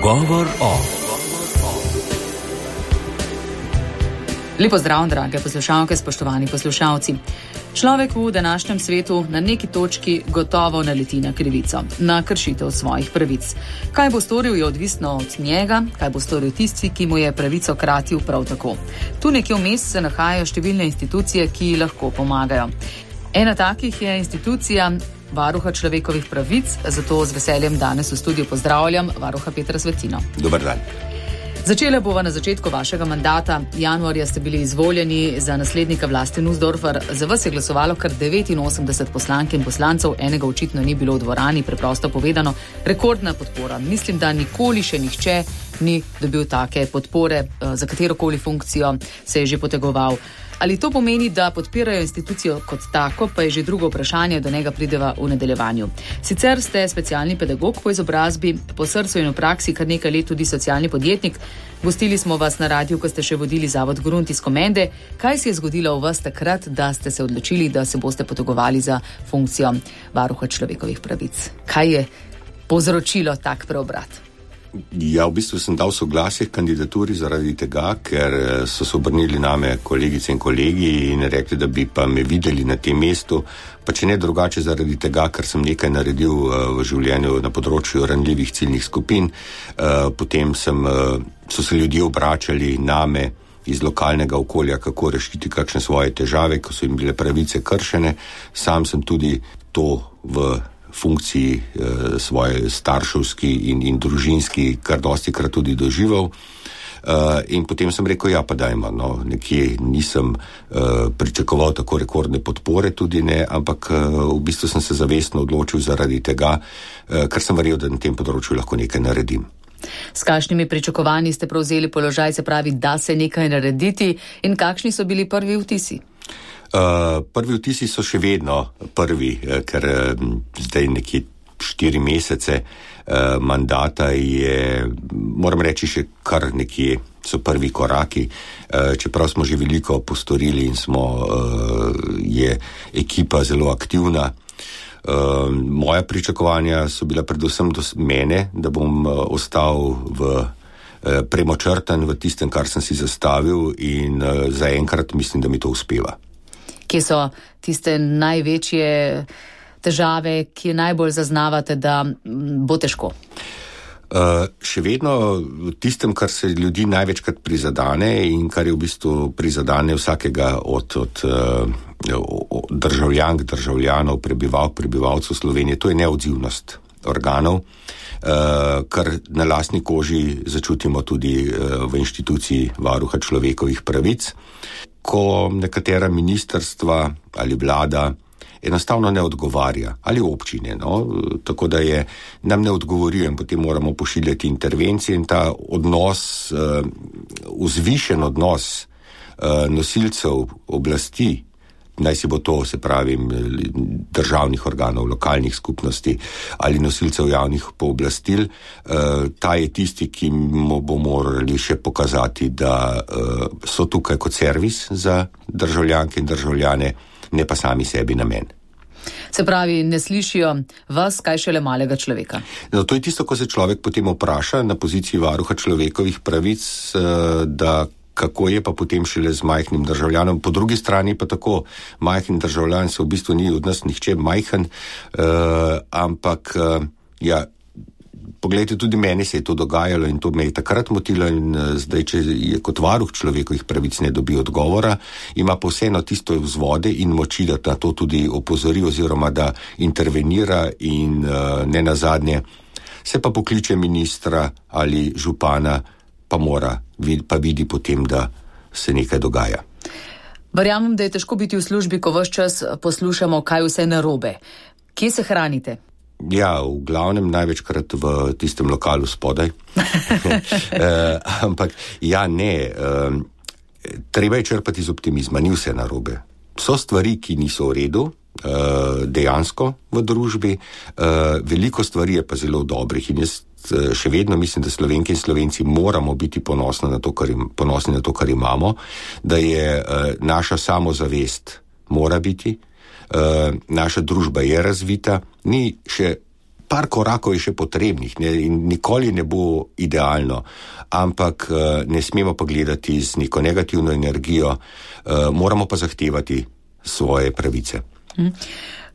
Govor o. Lepo zdrav, drage poslušalke, spoštovani poslušalci. Človek v današnjem svetu na neki točki gotovo naleti na krivico, na kršitev svojih pravic. Kaj bo storil, je odvisno od njega, kaj bo storil tisti, ki mu je pravico kratil prav tako. Tu nekje vmes se nahajajo številne institucije, ki lahko pomagajo. Ena takih je institucija Varuha človekovih pravic, zato z veseljem danes v studiu pozdravljam varuha Petra Svetino. Dobar dan. Začela bova na začetku vašega mandata. Januarja ste bili izvoljeni za naslednika Vlaste Nussdorfer. Za vas je glasovalo kar 89 poslank in poslancev, enega očitno ni bilo v dvorani, preprosto povedano, rekordna podpora. Mislim, da nikoli še nihče ni dobil take podpore, za katerokoli funkcijo se je že potegoval. Ali to pomeni, da podpirajo institucijo kot tako, pa je že drugo vprašanje, do njega prideva v nadaljevanju. Sicer ste specialni pedagog po izobrazbi, po srcu in v praksi kar nekaj let tudi socialni podjetnik. Gostili smo vas na radiju, ko ste še vodili Zavod Grunt iz Komende. Kaj se je zgodilo v vas takrat, da ste se odločili, da se boste potegovali za funkcijo varuha človekovih pravic? Kaj je povzročilo tak preobrat? Ja, v bistvu sem dal soglasje k kandidaturi zaradi tega, ker so se obrnili name kolegice in kolegi in rekli, da bi pa me videli na tem mestu, pa če ne drugače zaradi tega, ker sem nekaj naredil v življenju na področju ranljivih ciljnih skupin. Potem so se ljudje obračali name iz lokalnega okolja, kako rešiti kakšne svoje težave, ko so jim bile pravice kršene. Sam sem tudi to v funkciji svoje starševski in družinski kar dostikrat tudi doživel. In potem sem rekel, ja pa dajmo, nekje nisem pričakoval tako rekordne podpore, tudi ne, ampak v bistvu sem se zavestno odločil zaradi tega, ker sem verjel, da na tem področju lahko nekaj naredim. S kakšnimi pričakovanji ste prevzeli položaj, se pravi, da se nekaj narediti, in kakšni so bili prvi vtisi? Prvi vtisi so še vedno prvi, ker zdaj nekje 4 mesece mandata je, moram reči, še kar nekje so prvi koraki, čeprav smo že veliko postorili in je ekipa zelo aktivna. Moja pričakovanja so bila predvsem do mene, da bom ostal premočrtan v tistem, kar sem si zastavil, in zaenkrat mislim, da mi to uspeva. Kje so tiste največje težave, ki najbolj zaznavate, da bo težko? Še vedno v tistem, kar se ljudi največkrat prizadane in kar je v bistvu prizadane vsakega od državljank, državljanov, prebivalcev Slovenije, to je neodzivnost organov, kar na lastni koži začutimo tudi v inštituciji Varuha človekovih pravic, ko nekatera ministrstva ali vlada enostavno ne odgovarja, ali občine, tako da nam ne odgovorijo in potem moramo pošiljati intervencije, in ta odnos, vzvišen odnos nosilcev oblasti, naj si bo to, se pravi, državnih organov, lokalnih skupnosti ali nosilcev javnih pooblastil, ta je tisti, ki mu bo morali še pokazati, da so tukaj kot servis za državljanke in državljane, ne pa sami sebi namen. Se pravi, ne slišijo vas, kaj šele malega človeka. To je tisto, ko se človek potem vpraša na poziciji varuha človekovih pravic, da kako je pa potem šele z majhnim državljanom. Po drugi strani pa tako, majhen državljan se v bistvu ni od nas nihče majhen, ampak ja, poglejte, tudi meni se je to dogajalo in to me je takrat motilo, in zdaj, če je kot varuh človekovih pravic ne dobi odgovora, ima pa vseeno tisto vzvode in moči, da na to tudi opozori oziroma da intervenira, in ne nazadnje se pa pokliče ministra ali župana, pa vidi potem, da se nekaj dogaja. Verjamem, da je težko biti v službi, ko ves čas poslušamo, kaj vse narobe. Kje se hranite? Ja, v glavnem največkrat v tistem lokalu spodaj. Ampak ja, ne. Treba je črpati iz optimizma, ni vse narobe. So stvari, ki niso v redu, dejansko v družbi, veliko stvari je pa zelo dobrih, in jaz še vedno mislim, da Slovenke in Slovenci moramo biti ponosni na to, kar imamo, da je naša samozavest mora biti, naša družba je razvita, ni še par korakov je še potrebnih, ne, in nikoli ne bo idealno, ampak ne smemo pa gledati z neko negativno energijo, moramo pa zahtevati svoje pravice.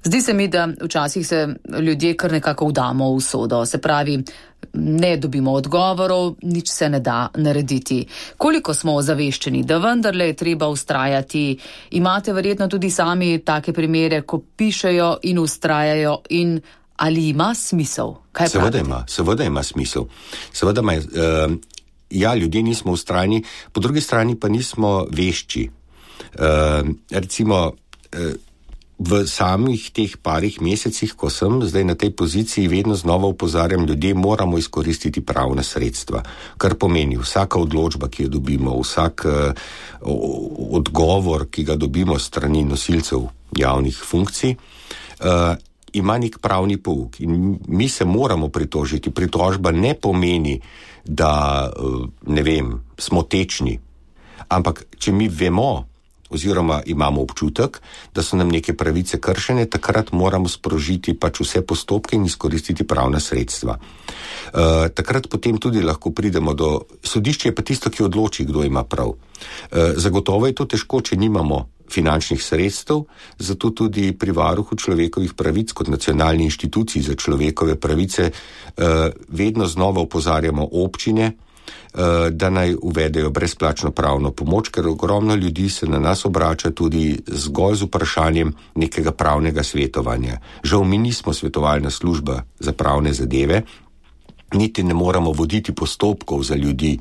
Zdi se mi, da včasih se ljudje kar nekako vdamo v usodo, se pravi, ne dobimo odgovorov, nič se ne da narediti. Koliko smo ozaveščeni, da vendarle je treba vztrajati? Imate verjetno tudi sami take primere, ko pišejo in vztrajajo, in ali ima smisel? Kaj Seveda ima smisel. Seveda ima, ljudje nismo vztrajni, po drugi strani pa nismo vešči. Recimo, v samih teh parih mesecih, ko sem zdaj na tej poziciji, vedno znova opozarjam, ljudje moramo izkoristiti pravna sredstva, kar pomeni vsaka odločba, ki jo dobimo, vsak odgovor, ki ga dobimo strani nosilcev javnih funkcij, ima nek pravni pouk in mi se moramo pritožiti. Pritožba ne pomeni, da, smo tečni, ampak če mi vemo, oziroma imamo občutek, da so nam neke pravice kršene, takrat moramo sprožiti pač vse postopke in izkoristiti pravna sredstva. Takrat potem tudi lahko pridemo do sodišča, je pa tisto, ki odloči, kdo ima prav. Zagotovo je to težko, če nimamo finančnih sredstev, zato tudi pri Varuhu človekovih pravic kot nacionalni inštituciji za človekove pravice vedno znova opozarjamo občine, da naj uvedejo brezplačno pravno pomoč, ker ogromno ljudi se na nas obrača tudi zgolj z vprašanjem nekega pravnega svetovanja. Žal mi nismo svetovalna služba za pravne zadeve, niti ne moramo voditi postopkov za ljudi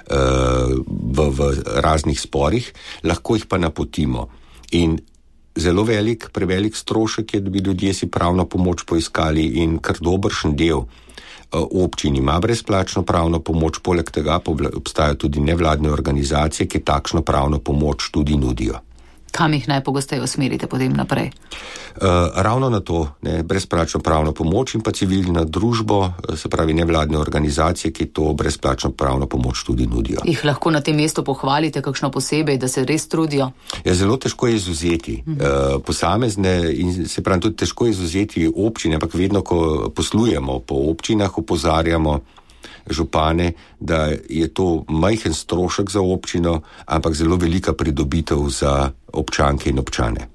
v raznih sporih, lahko jih pa napotimo. In zelo prevelik strošek je, da bi ljudje si pravno pomoč poiskali, in kar dobršen del občin ima brezplačno pravno pomoč, poleg tega obstajajo tudi nevladne organizacije, ki takšno pravno pomoč tudi nudijo. Kam jih najpogosteje usmerite potem naprej? Ravno na to, brezplačno pravno pomoč in pa civilna družbo, se pravi nevladne organizacije, ki to brezplačno pravno pomoč tudi nudijo. Jih lahko na tem mestu pohvalite kakšno posebej, da se res trudijo? Ja, zelo težko je izvzeti posamezne in se pravi tudi težko je izvzeti občine, ampak vedno, ko poslujemo po občinah, opozarjamo župane, da je to majhen strošek za občino, ampak zelo velika pridobitev za občanke in občane.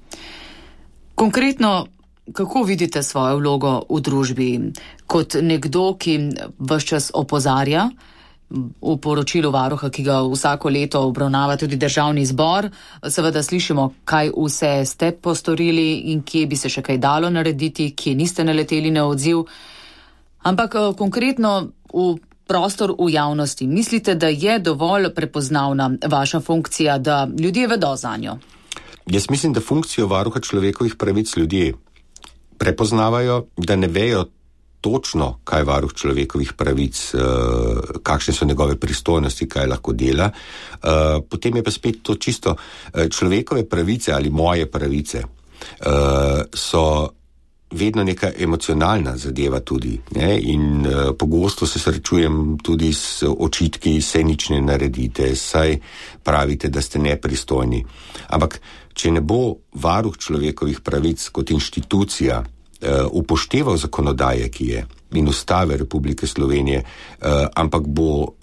Konkretno, kako vidite svojo vlogo v družbi? Kot nekdo, ki ves čas opozarja, v poročilu Varuha, ki ga vsako leto obravnava tudi Državni zbor, seveda slišimo, kaj vse ste postorili in kje bi se še kaj dalo narediti, kje niste naleteli na odziv. Ampak konkretno v prostor v javnosti, mislite, da je dovolj prepoznavna vaša funkcija, da ljudje vedo zanjo? Jaz mislim, da funkcijo Varuha človekovih pravic ljudje prepoznavajo, da ne vejo točno, kaj Varuh človekovih pravic, kakšne so njegove pristojnosti, kaj lahko dela. Potem je pa spet to čisto človekove pravice ali moje pravice so vedno neka emocionalna zadeva tudi, ne? In pogosto se srečujem tudi s očitki, saj nič ne naredite, saj pravite, da ste nepristojni. Ampak, če ne bo Varuh človekovih pravic kot inštitucija upošteval zakonodaje, ki je, in Ustave Republike Slovenije, ampak bo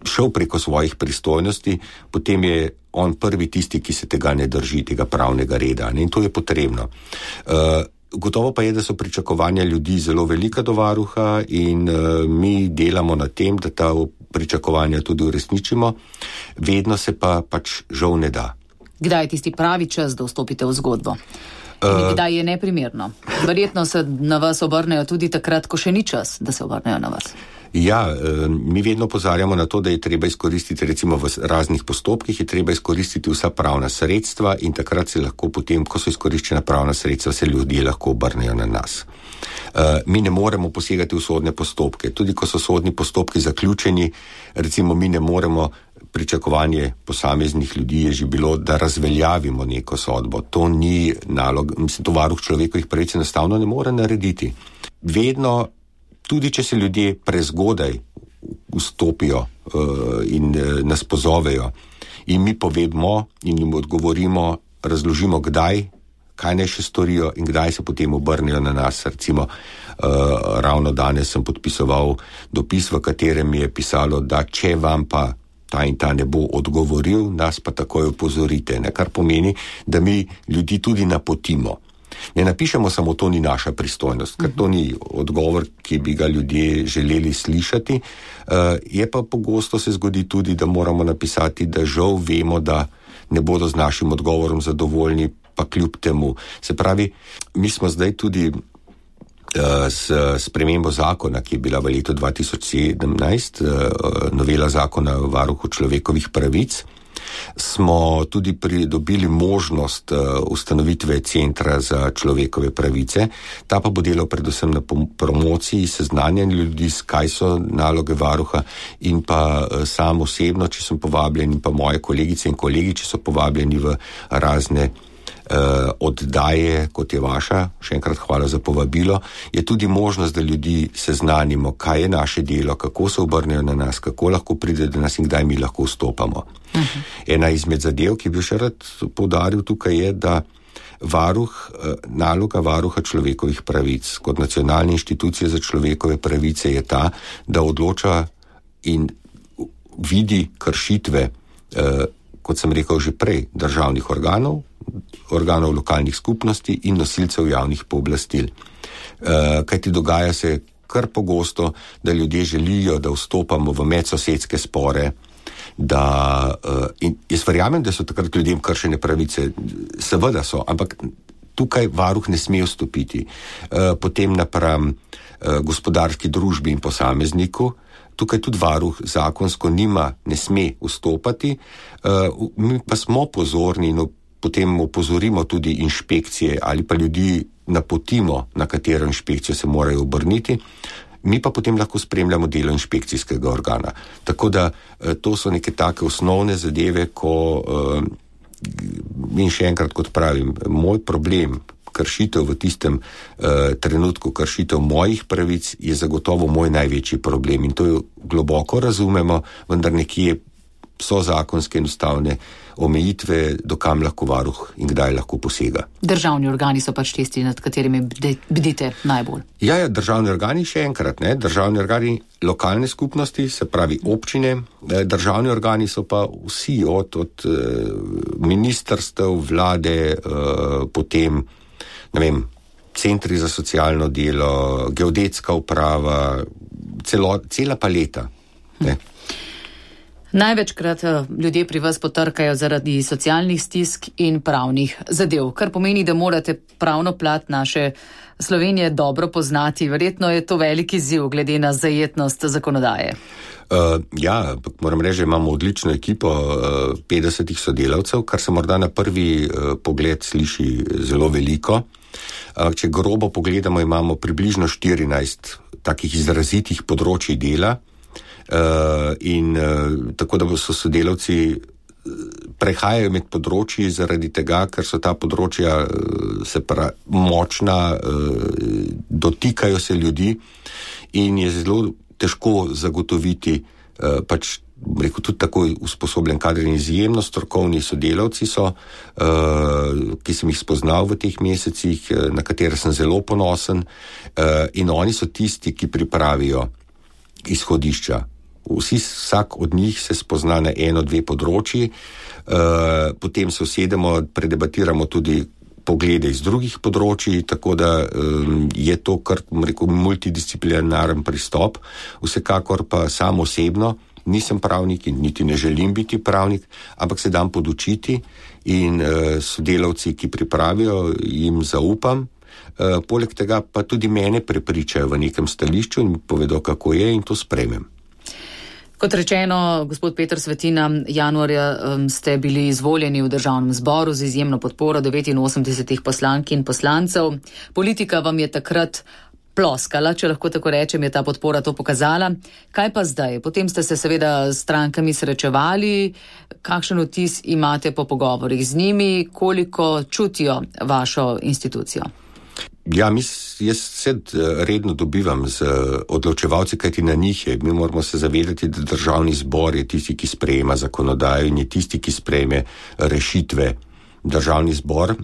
šel preko svojih pristojnosti, potem je on prvi tisti, ki se tega ne drži, tega pravnega reda. Ne? In to je potrebno. Gotovo pa je, da so pričakovanja ljudi zelo velika do Varuha in mi delamo na tem, da ta pričakovanja tudi uresničimo. Vedno se pa pač žal ne da. Kdaj je tisti pravi čas, da vstopite v zgodbo? In kdaj je neprimerno? Verjetno se na vas obrnejo tudi takrat, ko še ni čas, da se obrnejo na vas. Ja, mi vedno opozarjamo na to, da je treba izkoristiti, recimo v raznih postopkih, je treba izkoristiti vsa pravna sredstva in takrat se lahko potem, ko so izkoriščena pravna sredstva, se ljudje lahko obrnejo na nas. Mi ne moremo posegati v sodne postopke. Tudi ko so sodni postopki zaključeni, recimo mi ne moremo, pričakovanje posameznih ljudi je že bilo, da razveljavimo neko sodbo. To ni nalog, to Varuh človekovih pravic enostavno ne more narediti. Vedno, tudi če se ljudje prezgodaj vstopijo in nas pozovejo in mi povemo in jim odgovorimo, razložimo, kdaj kaj naj še storijo in kdaj se potem obrnejo na nas. Recimo, ravno danes sem podpisoval dopis, v katerem je pisalo, da če vam pa ta in ta ne bo odgovoril, nas pa takoj opozorite, ne? Kar pomeni, da mi ljudi tudi napotimo. Ne napišemo samo, to ni naša pristojnost, ker to ni odgovor, ki bi ga ljudje želeli slišati. Je pa pogosto se zgodi tudi, da moramo napisati, da žal vemo, da ne bodo z našim odgovorom zadovoljni, pa kljub temu. Se pravi, mi smo zdaj tudi s spremembo zakona, ki je bila v letu 2017, novela zakona o varuhu človekovih pravic, smo tudi pridobili možnost ustanovitve centra za človekove pravice. Ta pa bo delal predvsem na promociji, seznanjanju ljudi, kaj so naloge varuha, in pa sam osebno, če sem povabljen, in pa moje kolegice in kolegi, če so povabljeni v razne oddaje, kot je vaša, še enkrat hvala za povabilo, je tudi možnost, da ljudi seznanimo, kaj je naše delo, kako se obrnejo na nas, kako lahko pride do nas in kdaj mi lahko vstopamo. Ena izmed zadev, ki bi še rad poudaril tukaj, je, da naloga varuha človekovih pravic kot nacionalne inštitucije za človekove pravice je ta, da odloča in vidi kršitve, kot sem rekel že prej, državnih organov lokalnih skupnosti in nosilcev javnih pooblastil. Kajti dogaja se kar pogosto, da ljudje želijo, da vstopamo v medsosedske spore, in jaz verjamem, da so takrat ljudem kršene pravice, seveda so, ampak tukaj varuh ne sme vstopiti. Potem napram gospodarski družbi in posamezniku, tukaj tudi varuh zakonsko ne sme vstopati, mi pa smo pozorni in potem opozorimo tudi inšpekcije ali pa ljudi napotimo, na katero inšpekcijo se morajo obrniti, mi pa potem lahko spremljamo delo inšpekcijskega organa. Tako da to so neke take osnovne zadeve, in še enkrat, kot pravim, moj problem, kršitev v tistem trenutku, kršitev mojih pravic je zagotovo moj največji problem in to jo globoko razumemo, vendar nekje so zakonske in ustavne omejitve, dokam lahko varuh in kdaj lahko posega. Državni organi so pač tisti, nad katerimi bdite najbolj. Ja, državni organi, še enkrat, državni organi lokalne skupnosti, se pravi občine, državni organi so pa vsi od ministrstev, vlade, potem, centri za socialno delo, geodetska uprava, cela paleta, Največkrat ljudje pri vas potrkajo zaradi socialnih stisk in pravnih zadev, kar pomeni, da morate pravno plat naše Slovenije dobro poznati. Verjetno je to veliki izziv glede na zajetnost zakonodaje. Moram reči, imamo odlično ekipo 50 sodelavcev, kar se morda na prvi pogled sliši zelo veliko. Če grobo pogledamo, imamo približno 14 takih izrazitih področij dela, in tako da so sodelavci prehajajo med področji zaradi tega, ker so ta področja močna, dotikajo se ljudi in je zelo težko zagotoviti tudi tako usposobljen kader in izjemno strokovni sodelavci so, ki sem jih spoznal v teh mesecih, na katere sem zelo ponosen, in oni so tisti, ki pripravijo izhodišča. Vsak od njih se spozna na 1-2 področji, potem se usedemo, predebatiramo tudi poglede iz drugih področji, tako da je to kar, multidisciplinaren pristop. Vsekakor pa sam osebno nisem pravnik in niti ne želim biti pravnik, ampak se dam podučiti in sodelavci, ki pripravijo, jim zaupam. Poleg tega pa tudi mene prepričajo v nekem stališču in povedo, kako je, in to sprejmem. Kot rečeno, gospod Peter Svetina, januarja ste bili izvoljeni v državnem zboru z izjemno podporo 89 poslank in poslancev. Politika vam je takrat ploskala, če lahko tako rečem, je ta podpora to pokazala. Kaj pa zdaj? Potem ste se seveda s strankami srečevali. Kakšen vtis imate po pogovorih z njimi? Koliko čutijo vašo institucijo? Jaz se redno dobivam z odločevalci, kajti na njih je. Mi moramo se zavedati, da državni zbor je tisti, ki sprejema zakonodajo in je tisti, ki sprejme rešitve Državni zbor,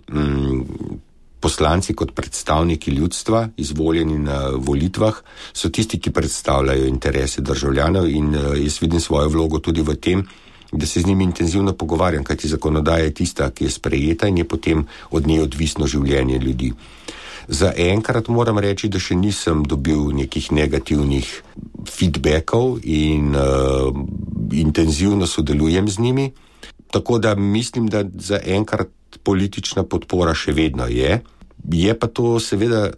poslanci kot predstavniki ljudstva, izvoljeni na volitvah, so tisti, ki predstavljajo interese državljanov in jaz vidim svojo vlogo tudi v tem, da se z njimi intenzivno pogovarjam, kajti zakonodaja je tista, ki je sprejeta in je potem od nje odvisno življenje ljudi. Za enkrat moram reči, da še nisem dobil nekih negativnih feedbackov in intenzivno sodelujem z njimi, tako da mislim, da za enkrat politična podpora še vedno je. Je pa to seveda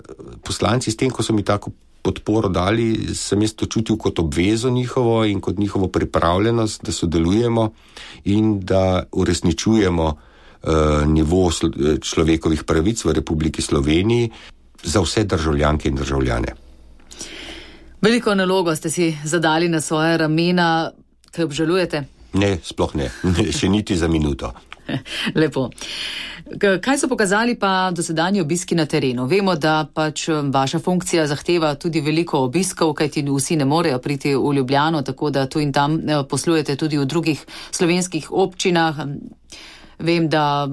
poslanci s tem, ko so mi tako podporo dali, sem jaz to čutil kot obvezo njihovo in kot njihovo pripravljenost, da sodelujemo in da uresničujemo nivo človekovih pravic v Republiki Sloveniji za vse državljanke in državljane. Veliko nalogo ste si zadali na svoje ramena, kaj obžalujete? Ne, sploh ne. Še niti za minuto. Lepo. Kaj so pokazali pa dosedanji obiski na terenu? Vemo, da pač vaša funkcija zahteva tudi veliko obiskov, kajti vsi ne morejo priti v Ljubljano, tako da tu in tam poslujete tudi v drugih slovenskih občinah. Vem, da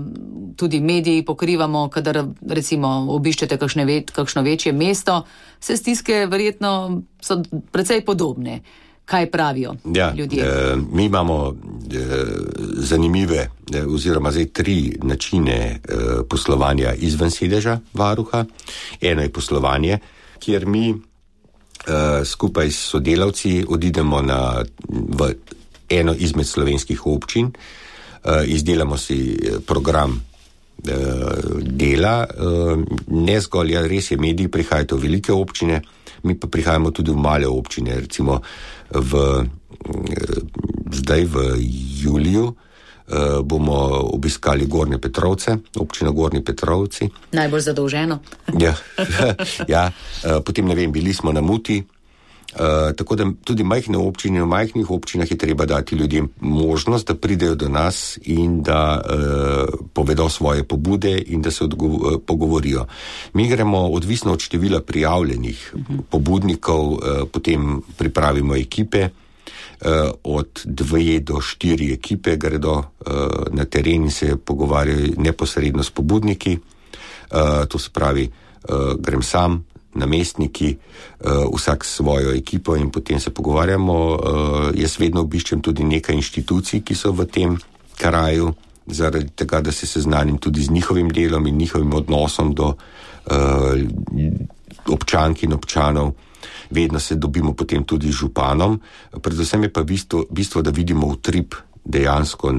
tudi mediji pokrivamo, kadar recimo obiščete kakšno večje mesto, vse stiske verjetno so precej podobne. Kaj pravijo ljudje? Mi imamo zanimive oziroma zdaj 3 načine poslovanja izven sedeža varuha. Eno je poslovanje, kjer mi skupaj s sodelavci odidemo v eno izmed slovenskih občin, izdelamo si program dela, ne zgolj, res je, mediji prihajajo v velike občine, mi pa prihajamo tudi v male občine, recimo zdaj v juliju bomo obiskali Gornje Petrovce, občina Gornji Petrovci. Najbolj zadolženo. Ja, potem ne vem, bili smo na Muti, tako da tudi majhne občine, v majhnih občinah je treba dati ljudem možnost, da pridejo do nas in da povedo svoje pobude in da se pogovorijo. Mi gremo odvisno od števila prijavljenih pobudnikov, potem pripravimo ekipe, od 2 do 4 ekipe gredo na teren in se pogovarjajo neposredno s pobudniki. To se pravi, grem sam, namestniki, vsak svojo ekipo in potem se pogovarjamo. Jaz vedno obiščem tudi nekaj inštitucij, ki so v tem kraju, zaradi tega, da se seznanim tudi z njihovim delom in njihovim odnosom do občank in občanov. Vedno se dobimo potem tudi z županom. Predvsem je pa bistvo, da vidimo utrip dejansko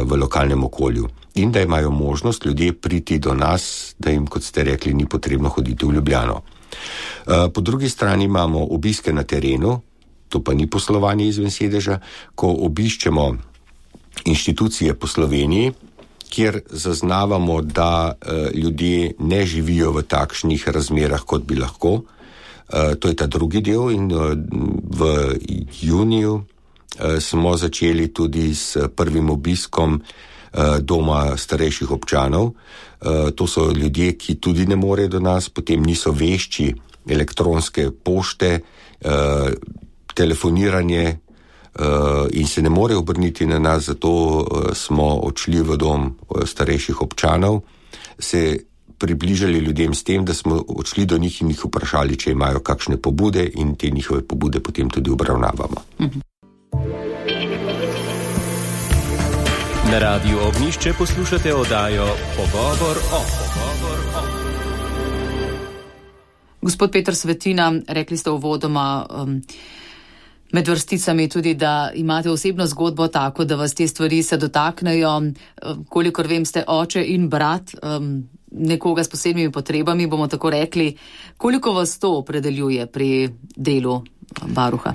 v lokalnem okolju. In da imajo možnost ljudje priti do nas, da jim, kot ste rekli, ni potrebno hoditi v Ljubljano. Po drugi strani imamo obiske na terenu, to pa ni poslovanje izven sedeža, ko obiščemo inštitucije po Sloveniji, kjer zaznavamo, da ljudje ne živijo v takšnih razmerah, kot bi lahko. To je ta drugi del in v juniju smo začeli tudi s prvim obiskom doma starejših občanov. To so ljudje, ki tudi ne morejo do nas, potem niso vešči elektronske pošte, telefoniranje in se ne morejo obrniti na nas, zato smo odšli v dom starejših občanov, se približali ljudem s tem, da smo odšli do njih in jih vprašali, če imajo kakšne pobude in te njihove pobude potem tudi obravnavamo. Na Radiu Ognjišče poslušate oddajo Pogovor o. Gospod Peter Svetina, rekli ste uvodoma med vrsticami tudi, da imate osebno zgodbo tako, da vas te stvari se dotaknejo. Kolikor vem, ste oče in brat nekoga s posebnimi potrebami, bomo tako rekli. Koliko vas to opredeljuje pri delu varuha?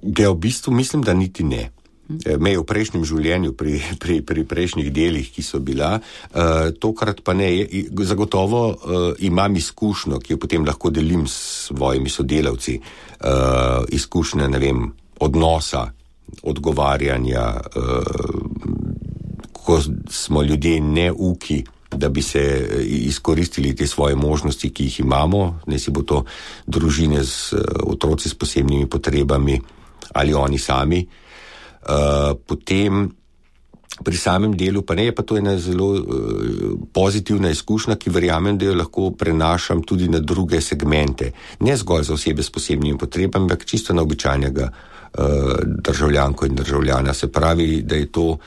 V bistvu mislim, da niti ne. Me v prejšnjem življenju, pri prejšnjih delih, ki so bila, tokrat pa ne. Zagotovo imam izkušnjo, ki jo potem lahko delim s svojimi sodelavci, izkušnje, ne vem, odnosa, odgovarjanja, ko smo ljudje neuki, da bi se izkoristili te svoje možnosti, ki jih imamo, ne si bo to družine z otroci s posebnimi potrebami ali oni sami. Potem Pri samem delu pa ne, je pa to ena zelo pozitivna izkušnja, ki verjamem, da jo lahko prenašam tudi na druge segmente. Ne zgolj za osebe s posebnimi potrebami, ampak čisto na običajnega državljanko in državljana. Se pravi, da je to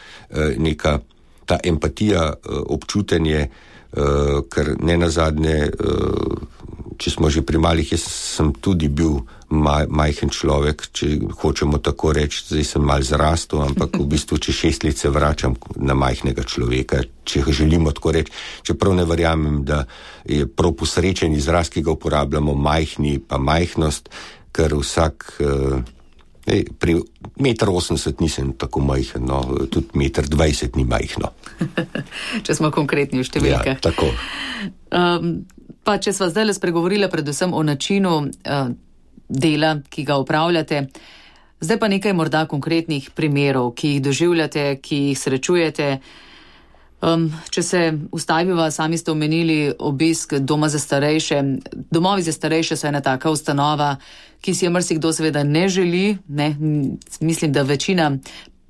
neka ta empatija, občutenje, ker ne nazadnje, če smo že pri malih, jaz sem tudi bil majhen človek, če hočemo tako reči, zdaj sem mal zrastel, ampak v bistvu, če 6 let se vračam na majhnega človeka, če želimo tako reči, čeprav ne verjamem, da je prav posrečen izraz, ki ga uporabljamo, majhni pa majhnost, ker vsak, pri 1,80 m nisem tako majhen, no, tudi 1,20 m ni majhno. Če smo konkretni v številkah. Ja, tako. Pa če sva zdaj spregovorila predvsem o načinu dela, ki ga upravljate, zdaj pa nekaj morda konkretnih primerov, ki jih doživljate, ki jih srečujete. Če se ustaviva, sami ste omenili obisk doma za starejše. Domovi za starejše so ena taka ustanova, ki si je marsikdo seveda ne želi. Ne? Mislim, da večina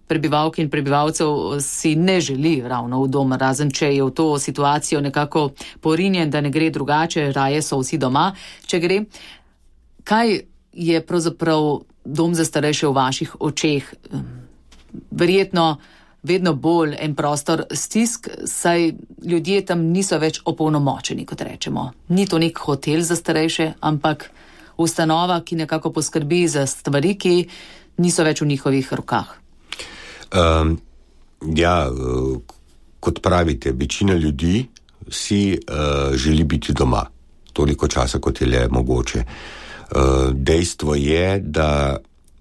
prebivalk in prebivalcev si ne želi ravno v dom, razen če je v to situacijo nekako porinjen, da ne gre drugače, raje so vsi doma, če gre. Kaj je pravzaprav dom za starejše v vaših očeh? Verjetno vedno bolj en prostor stisk, saj ljudje tam niso več opolnomočeni, kot rečemo. Ni to nek hotel za starejše, ampak ustanova, ki nekako poskrbi za stvari, ki niso več v njihovih rokah. Kot pravite, večina ljudi si želi biti doma, toliko časa, kot je le mogoče. Dejstvo je, da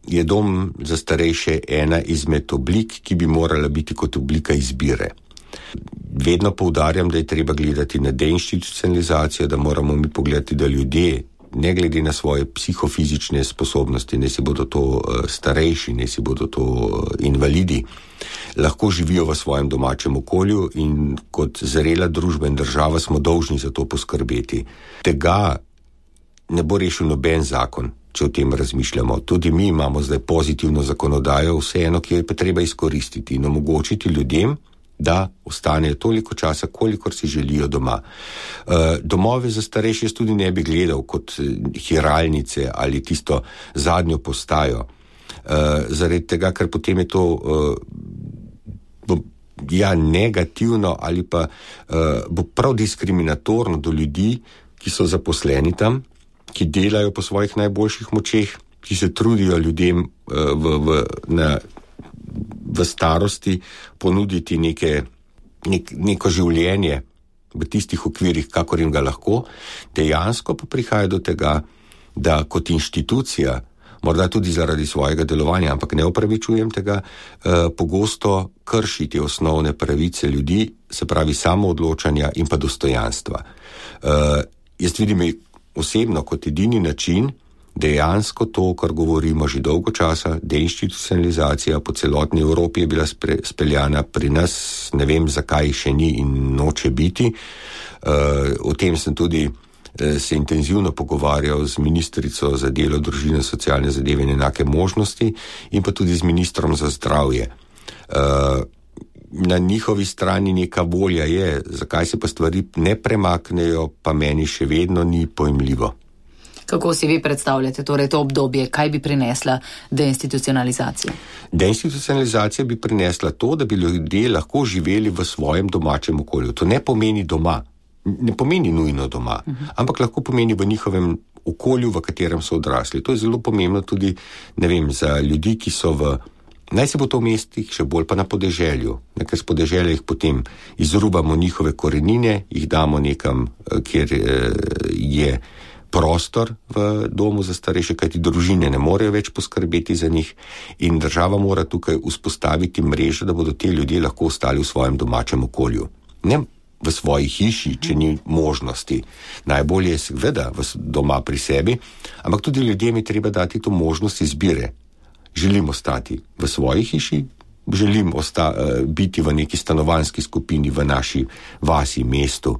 je dom za starejše ena izmed oblik, ki bi morala biti kot oblika izbire. Vedno poudarjam, da je treba gledati na deinstitucionalizacijo, da moramo mi pogledati, da ljudje, ne glede na svoje psihofizične sposobnosti, ne si bodo to starejši, ne si bodo to invalidi, lahko živijo v svojem domačem okolju in kot zrela družba in država smo dolžni za to poskrbeti. Tega ne bo rešil noben zakon, če o tem razmišljamo. Tudi mi imamo zdaj pozitivno zakonodajo, vseeno, ki jo je pa treba izkoristiti in omogočiti ljudem, da ostanejo toliko časa, kolikor si želijo doma. Domove za starejše jaz tudi ne bi gledal kot hiralnice ali tisto zadnjo postajo. Zaradi tega, ker potem je to negativno ali pa bo prav diskriminatorno do ljudi, ki so zaposleni tam, ki delajo po svojih najboljših močeh, ki se trudijo ljudem v starosti ponuditi neko življenje v tistih okvirih, kakor jim ga lahko. Dejansko pa prihaja do tega, da kot inštitucija, morda tudi zaradi svojega delovanja, ampak ne opravičujem tega, pogosto krši te osnovne pravice ljudi, se pravi samoodločanja in pa dostojanstva. Jaz vidim osebno kot edini način, dejansko to, kar govorimo že dolgo časa, deinstitucionalizacija po celotni Evropi je bila speljana, pri nas ne vem, zakaj še ni in noče biti. O tem sem tudi se intenzivno pogovarjal z ministrico za delo, družino, socialne zadeve in enake možnosti in pa tudi z ministrom za zdravje. Na njihovi strani neka volja je, zakaj se pa stvari ne premaknejo, pa meni še vedno ni pojmljivo. Kako si vi predstavljate torej to obdobje, kaj bi prinesla deinstitucionalizacija? Deinstitucionalizacija bi prinesla to, da bi ljudje lahko živeli v svojem domačem okolju. To ne pomeni doma, ne pomeni nujno doma, ampak lahko pomeni v njihovem okolju, v katerem so odrasli. To je zelo pomembno tudi, ne vem, za ljudi, ki so naj se bo to v mestih, še bolj pa na podeželju. Ker s podeželja jih potem izrubamo njihove korenine, jih damo nekam, kjer je prostor v domu za starejše, kajti družine ne morejo več poskrbeti za njih in država mora tukaj vzpostaviti mrežo, da bodo te ljudje lahko ostali v svojem domačem okolju. Ne v svoji hiši, če ni možnosti. Najbolje je seveda doma pri sebi, ampak tudi ljudem je treba dati to možnost izbire. Želim ostati v svoji hiši, želim biti v neki stanovanjski skupini v naši vasi, mestu,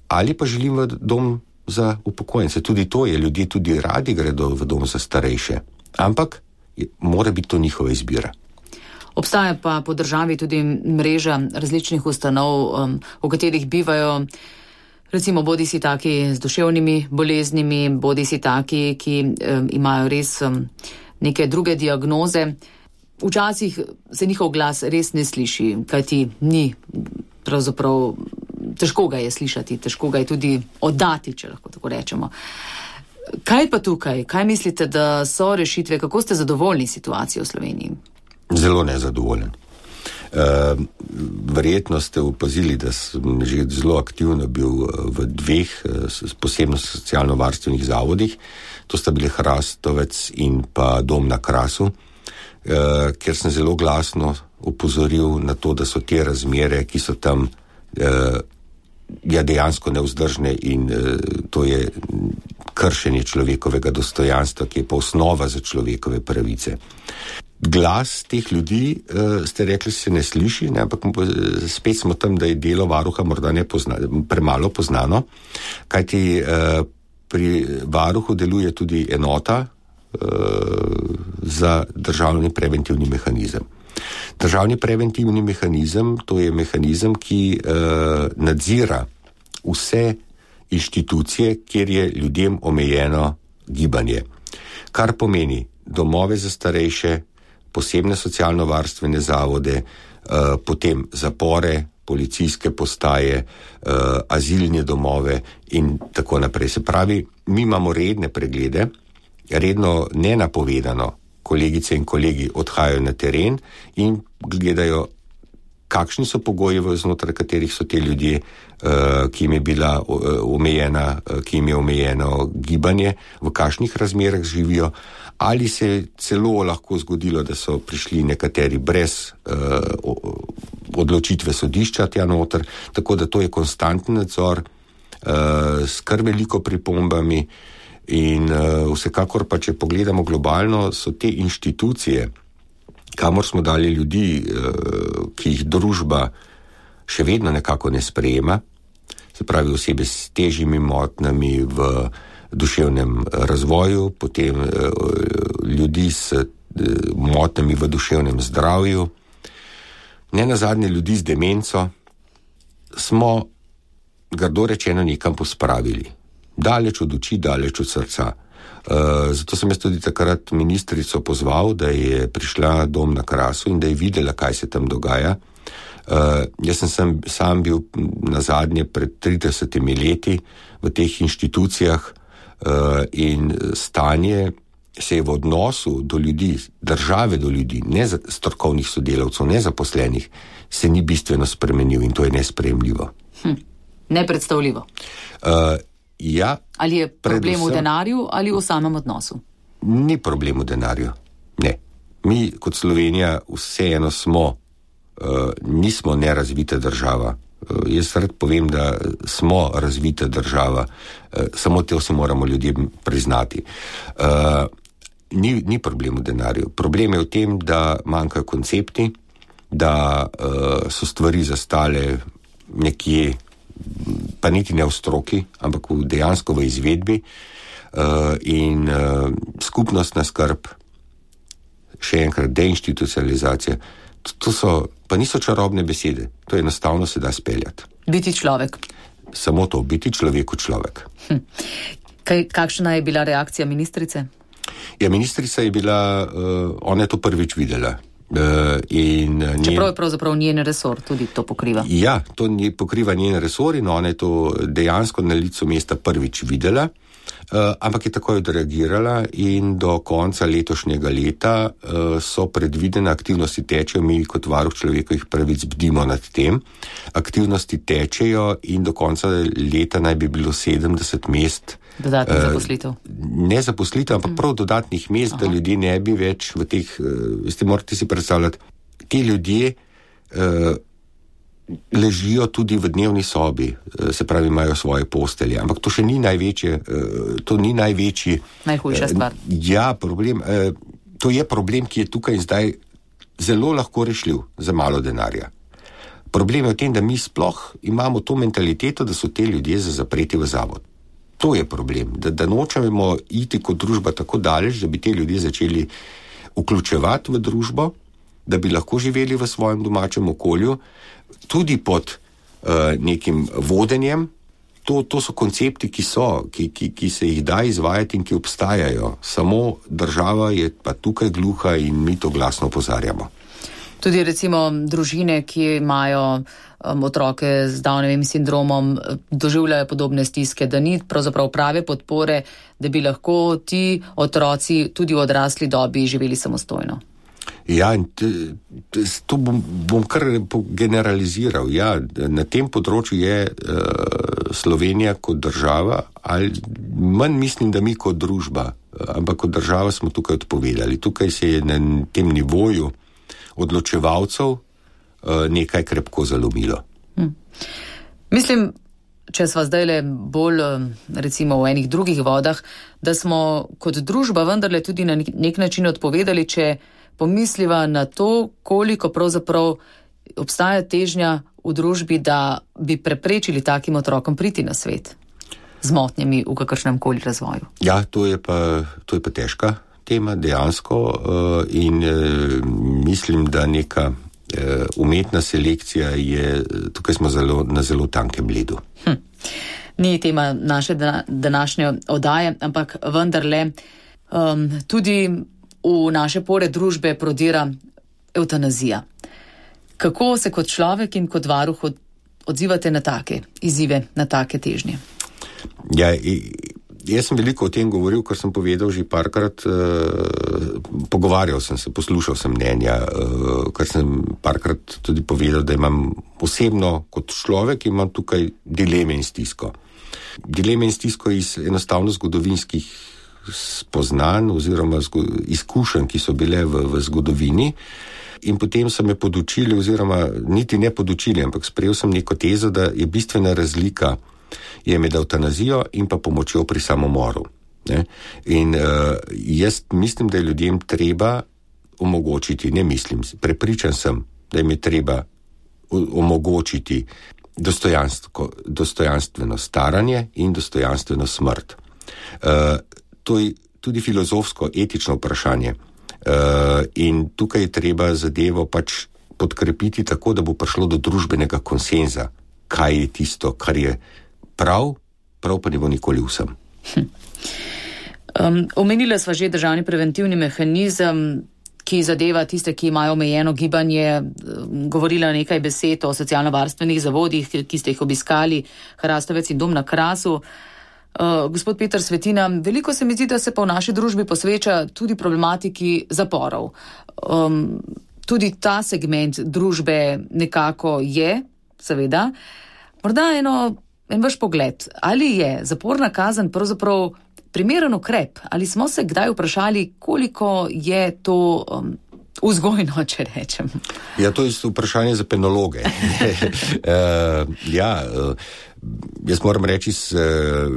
ali pa želim v dom za upokojence. Tudi to je, ljudje tudi radi gredo v dom za starejše, ampak mora biti to njihova izbira. Obstaja pa po državi tudi mreža različnih ustanov, v katerih bivajo recimo bodisi taki z duševnimi boleznimi, bodisi taki, ki imajo res neke druge diagnoze. Včasih se njihov glas res ne sliši, kajti ni pravzaprav, težko ga je slišati, težko ga je tudi oddati, če lahko tako rečemo. Kaj pa tukaj? Kaj mislite, da so rešitve? Kako ste zadovoljni situacijo v Sloveniji? Zelo nezadovoljen. Verjetno ste opazili, da sem že zelo aktivno bil v 2 posebno socialno-varstvenih zavodih. To sta bili Hrastovec in pa Dom na Krasu, kjer sem zelo glasno opozoril na to, da so te razmere, ki so tam dejansko nevzdržne in to je kršenje človekovega dostojanstva, ki je pa osnova za človekove pravice. Glas teh ljudi, ste rekli, se ne sliši, ne, ampak spet smo tam, da je delo varuha morda premalo poznano, kajti pri varuhu deluje tudi enota za državni preventivni mehanizem. Državni preventivni mehanizem, to je mehanizem, ki nadzira vse inštitucije, kjer je ljudem omejeno gibanje. Kar pomeni domove za starejše, posebne socialno-varstvene zavode, potem zapore, policijske postaje, azilne domove in tako naprej. Se pravi, mi imamo redne preglede, redno nenapovedano kolegice in kolegi odhajajo na teren in gledajo, kakšni so pogoji, znotraj katerih so te ljudje, ki jim je omejeno gibanje, v kakšnih razmerah živijo, ali se je celo lahko zgodilo, da so prišli nekateri brez odločitve sodišča tja noter, tako da to je konstantni nadzor s kar veliko pripombami in vsekakor pa, če pogledamo globalno, so te inštitucije, kamor smo dali ljudi, ki jih družba še vedno nekako ne sprejema, se pravi osebe s težjimi motnjami v duševnem razvoju, potem ljudi s motnjami v duševnem zdravju, nenazadnje ljudi z demenco, smo grdo rečeno nekam pospravili. Daleč od oči, daleč od srca. Zato sem jaz tudi takrat ministrico pozval, da je prišla Dom na Krasu in da je videla, kaj se tam dogaja. Jaz sem sam bil nazadnje pred 30 leti v teh inštitucijah in stanje se je v odnosu do ljudi, države do ljudi, ne strokovnih sodelavcev, ne zaposlenih, se ni bistveno spremenil in to je nesprejemljivo. Nepredstavljivo. Ja, ali je problem v denarju ali v samem odnosu? Ni problem v denarju, ne. Mi kot Slovenija vseeno smo, nismo nerazvita država. Jaz rad povem, da smo razvita država, samo to si moramo ljudem priznati. Ni problem v denarju. Problem je v tem, da manjkajo koncepti, da so stvari zastale nekje, pa niti ne v stroki, ampak dejansko v izvedbi in skupnostna skrb, še enkrat deinstitucionalizacija, pa niso čarobne besede, to enostavno se da speljati. Biti človek. Samo to, biti človeku človek. Kakšna je bila reakcija ministrice? Ja, ministrica je bila, ona je to prvič videla. Čeprav je pravzaprav njen resor tudi to pokriva. Ja, to pokriva njen resor in ona je to dejansko na licu mesta prvič videla, ampak je takoj odreagirala in do konca letošnjega leta so predvidene aktivnosti tečejo, mi kot varuh človekovih pravic bdimo nad tem. Aktivnosti tečejo in do konca leta naj bi bilo 70 mest dodatnih zaposlitev. Ne zaposlitev, ampak prav dodatnih mest, da ljudje ne bi več v teh, morate si predstavljati, ti ljudje ležijo tudi v dnevni sobi, se pravi, imajo svoje postelje, ampak to še ni največje, to ni največji. Najhujša stvar. Ja, problem, to je problem, ki je tukaj zdaj zelo lahko rešljiv za malo denarja. Problem je v tem, da mi sploh imamo to mentaliteto, da so te ljudje za zapreti v zavod. To je problem, da nočemo iti kot družba tako daleč, da bi te ljudje začeli vključevati v družbo da bi lahko živeli v svojem domačem okolju, tudi pod nekim vodenjem. To so koncepti, ki se jih da izvajati in ki obstajajo. Samo država je pa tukaj gluha in mi to glasno opozarjamo. Tudi recimo družine, ki imajo otroke z Downovim sindromom, doživljajo podobne stiske, da ni pravzaprav prave podpore, da bi lahko ti otroci tudi v odrasli dobi živeli samostojno. Ja, in to bom kar generaliziral. Ja, na tem področju je Slovenija kot država, ali manj mislim, da mi kot družba, ampak kot država smo tukaj odpovedali. Tukaj se je na tem nivoju odločevalcev nekaj krepko zalomilo. Mislim, če sva zdajle bolj recimo v enih drugih vodah, da smo kot družba vendarle tudi na nek način odpovedali, če pomisliva na to, koliko pravzaprav obstaja težnja v družbi, da bi preprečili takim otrokom priti na svet z motnjami v kakršnem koli razvoju. Ja, to je pa težka tema dejansko in mislim, da neka umetna selekcija je, tukaj smo na zelo tankem ledu. Ni tema naše današnje oddaje, ampak vendarle tudi v naše pore družbe prodira evtanazija. Kako se kot človek in kot varuh odzivate na take izzive, na take težnje? Ja, jaz sem veliko o tem govoril, ker sem povedal že parkrat, pogovarjal sem se, poslušal sem mnenja, ker sem parkrat tudi povedal, da imam osebno kot človek, imam tukaj dileme in stisko. Dileme in stisko iz enostavno zgodovinskih spoznanj oziroma izkušenj, ki so bile v zgodovini, in potem so me podučili, oziroma niti ne podučili, ampak sprejel sem neko tezo, da je bistvena razlika je med evtanazijo in pa pomočjo pri samomoru. Ne? In jaz mislim, da je ljudem treba omogočiti, prepričan sem, da jim je treba omogočiti dostojanstveno staranje in dostojanstveno smrt. To je tudi filozofsko, etično vprašanje. In tukaj je treba zadevo pač podkrepiti tako, da bo prišlo do družbenega konsenza, kaj je tisto, kar je prav pa ne bo nikoli vsem. Omenila sva že državni preventivni mehanizem, ki zadeva tiste, ki imajo omejeno gibanje, govorila nekaj besed o socialno-varstvenih zavodih, ki ste jih obiskali, Hrastovec in Dom na Krasu. Gospod Peter Svetina, veliko se mi zdi, da se pa v naši družbi posveča tudi problematiki zaporov. Tudi ta segment družbe nekako je, seveda. Morda en vaš pogled, ali je zaporna kazen pravzaprav primeren ukrep, ali smo se kdaj vprašali, koliko je to vzgojno, če rečem? Ja, to je vprašanje za penologe. Jaz moram reči z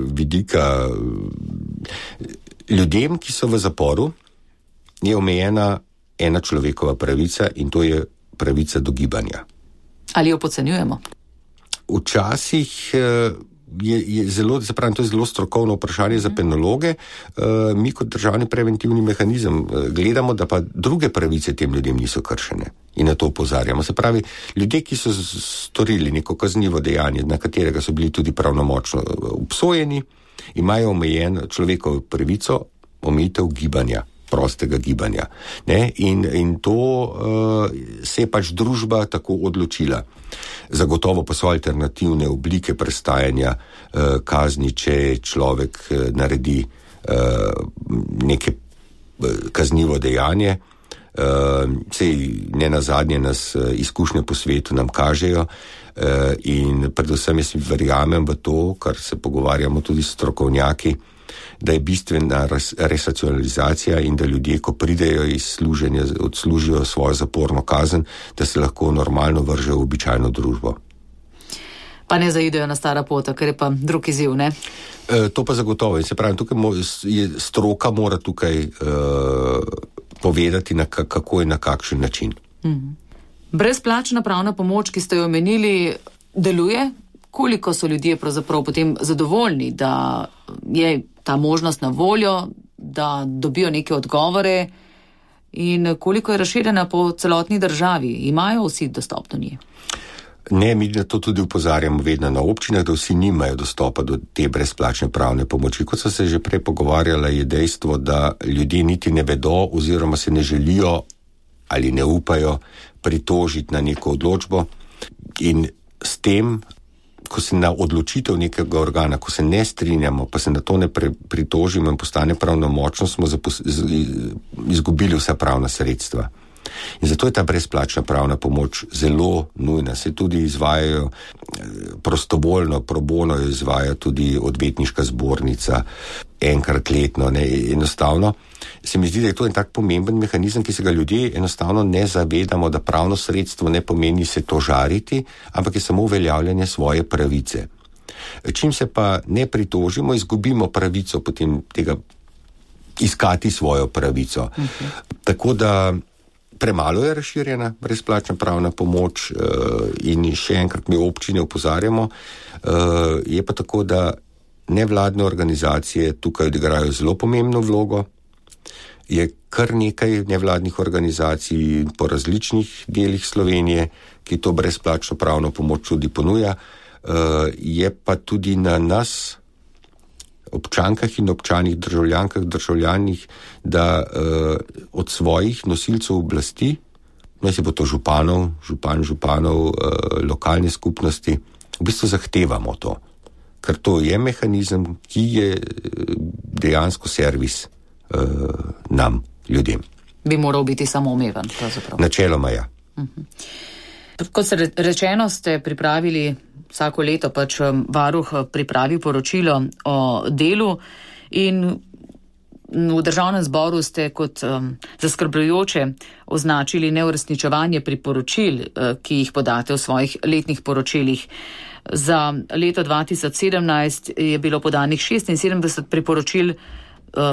vidika ljudem, ki so v zaporu, je omejena ena človekova pravica in to je pravica do gibanja. Ali jo podcenjujemo? Včasih je zelo, zapravim, to je zelo strokovno vprašanje za penologe. Mi kot državni preventivni mehanizem gledamo, da pa druge pravice tem ljudem niso kršene in na to opozarjamo. Se pravi, ljudje, ki so storili neko kaznivo dejanje, na katerega so bili tudi pravnomočno obsojeni, imajo omejen človekovo pravico omejitev gibanja, prostega gibanja. Ne? In to se je pač družba tako odločila. Zagotovo pa so alternativne oblike prestajanja kazni, če človek naredi neke kaznivo dejanje. Sej ne nazadnje nas izkušnje po svetu nam kažejo in predvsem jaz verjamem v to, kar se pogovarjamo tudi s strokovnjaki, da je bistvena resocijalizacija in da ljudje, ko pridejo iz služenja, odslužijo svojo zaporno kazen, da se lahko normalno vržejo v običajno družbo. Pa ne zaidejo na stara pota, ker je pa drug izziv, ne? To pa zagotovo. In se pravi, tukaj stroka mora tukaj povedati, kako je na kakšen način. Brezplačna pravna pomoč, ki ste jo omenili, deluje? Koliko so ljudje pravzaprav potem zadovoljni, da je ta možnost na voljo, da dobijo neke odgovore in koliko je razširjena po celotni državi? Imajo vsi dostop do nje? Ne, mi na to tudi upozarjamo vedno na občinah, da vsi nimajo dostopa do te brezplačne pravne pomoči. Kot so se že prej pogovarjala, je dejstvo, da ljudje niti ne vedo oziroma se ne želijo ali ne upajo pritožiti na neko odločbo in s tem, ko se na odločitev nekega organa, ko se ne strinjamo, pa se na to ne pritožimo in postane pravnomočno, smo izgubili vsa pravna sredstva. In zato je ta brezplačna pravna pomoč zelo nujna. Se tudi izvajajo prostovoljno, pro bono jo izvaja tudi odvetniška zbornica enkrat letno. Enostavno se mi zdi, da je to en tak pomemben mehanizem, ki se ga ljudje enostavno ne zavedamo, da pravno sredstvo ne pomeni se tožariti, ampak je samo uveljavljanje svoje pravice. Čim se pa ne pritožimo, izgubimo pravico potem tega iskati svojo pravico. Tako da premalo je razširjena brezplačna pravna pomoč in še enkrat mi občine opozarjamo. Je pa tako, da nevladne organizacije tukaj odigrajo zelo pomembno vlogo. Je kar nekaj nevladnih organizacij po različnih delih Slovenije, ki to brezplačno pravno pomoč tudi ponuja. Je pa tudi na nas, občankah in občanih, državljankah, državljanih, da od svojih nosilcev oblasti, naj se bo to županov, lokalne skupnosti, v bistvu zahtevamo to. Ker to je mehanizem, ki je dejansko servis nam, ljudem. Bi moral biti samoumeven, pravzaprav. Načeloma ja. Kot ste rečeno, ste pripravili vsako leto varuh pripravi poročilo o delu in v Državnem zboru ste kot zaskrbljujoče označili neuresničevanje priporočil, ki jih podate v svojih letnih poročilih. Za leto 2017 je bilo podanih 76 priporočil,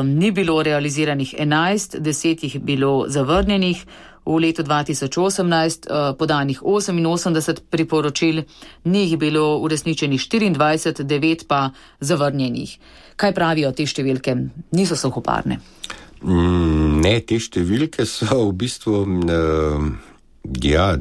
ni bilo realiziranih 11, 10 jih bilo zavrnjenih. V letu 2018 podanih 88 priporočil, ni jih bilo uresničenih 24, 9 pa zavrnjenih. Kaj pravijo te številke? Niso suhoparne? Ne, te številke so v bistvu,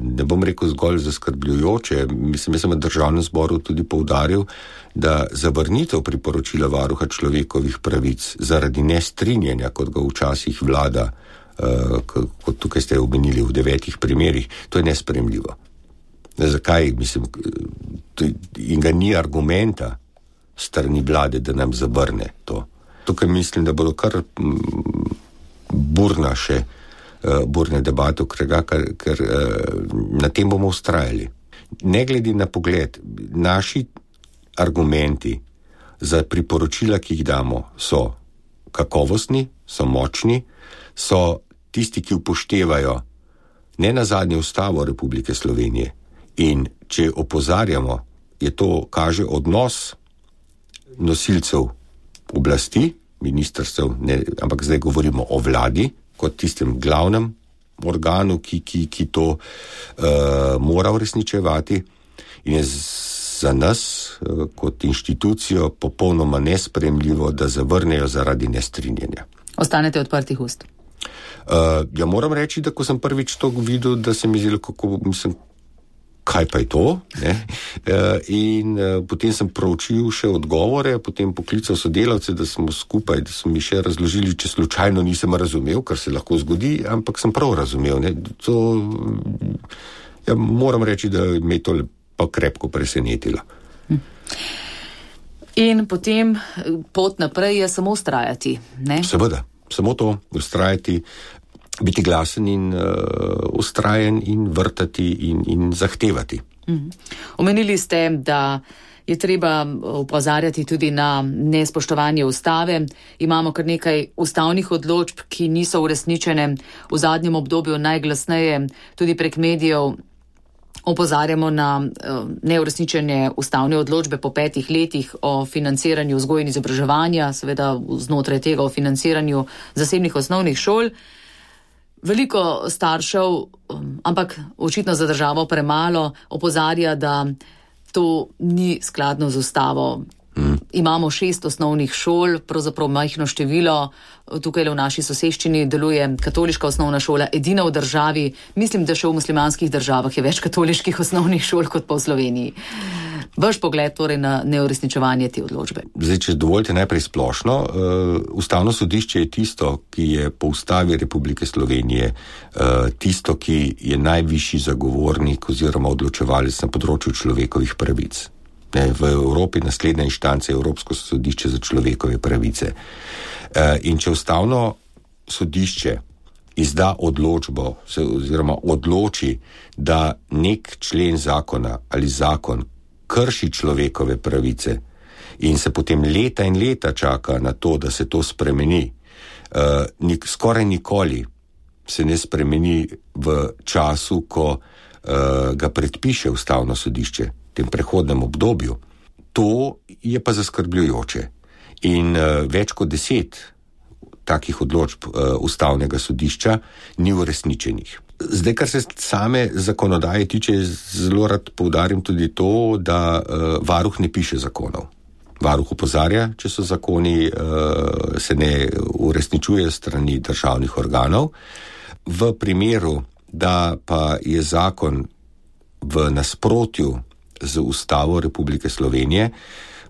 ne bom rekel zgolj zaskrbljujoče. Mislim, v Državnem zboru tudi poudaril, da zavrnitev priporočila varuha človekovih pravic zaradi nestrinjanja, kot ga včasih vlada, kot tukaj ste omenili v 9 primerih, to je nesprejemljivo. Zakaj? Mislim, in ga ni argumenta strani vlade, da nam zavrne to. Tukaj mislim, da bodo kar burne debate, ker na tem bomo vztrajali. Ne glede na pogled, naši argumenti za priporočila, ki jih damo, so kakovostni, so močni, so tisti, ki upoštevajo ne nazadnje Ustavo Republike Slovenije. In če opozarjamo, kaže odnos nosilcev oblasti, ministrstev, ampak zdaj govorimo o vladi, kot tistem glavnem organu, ki to mora uresničevati, in je za nas kot inštitucijo popolnoma nesprejemljivo, da zavrnejo zaradi nestrinjanja. Ostanete odprtih ust? Ja, moram reči, da ko sem prvič to videl, da se mi zdelo, kaj pa je to? In potem sem proučil še odgovore, potem poklical sodelavce, da smo skupaj, da so mi še razložili, če slučajno nisem razumel, kar se lahko zgodi, ampak sem prav razumel. Moram reči, da me je to pa krepko presenetilo. In potem pot naprej je samo vztrajati, ne? Seveda, samo to, vztrajati, biti glasen in vztrajen in vrtati in zahtevati. Omenili ste, da je treba opozarjati tudi na nespoštovanje ustave. Imamo kar nekaj ustavnih odločb, ki niso uresničene. V zadnjem obdobju najglasneje tudi prek medijev opozarjamo na neuresničenje ustavne odločbe po 5 letih o financiranju vzgoje in izobraževanja, seveda znotraj tega o financiranju zasebnih osnovnih šol. Veliko staršev, ampak očitno za državo premalo, opozarja, da to ni skladno z ustavo. imamo 6 osnovnih šol, pravzaprav majhno število. Tukaj v naši soseščini deluje katoliška osnovna šola, edina v državi. Mislim, da še v muslimanskih državah je več katoliških osnovnih šol kot pa v Sloveniji. Vaš pogled torej na neuresničevanje te odločbe. Zdaj, če dovolite najprej splošno, Ustavno sodišče je tisto, ki je po Ustavi Republike Slovenije tisto, ki je najvišji zagovornik oziroma odločevalec na področju človekovih pravic. V Evropi naslednja inštanca je Evropsko sodišče za človekove pravice. In če Ustavno sodišče izda odločbo oziroma odloči, da nek člen zakona ali zakon krši človekove pravice in se potem leta in leta čaka na to, da se to spremeni, skoraj nikoli se ne spremeni v času, ko ga predpiše Ustavno sodišče, v tem prehodnem obdobju. To je pa zaskrbljujoče. In več kot 10 takih odločb Ustavnega sodišča ni uresničenih. Zdaj, kar se same zakonodaje tiče, zelo rad poudarim tudi to, da varuh ne piše zakonov. Varuh opozarja, če so zakoni se ne uresničuje strani državnih organov. V primeru, da pa je zakon v nasprotju z Ustavo Republike Slovenije,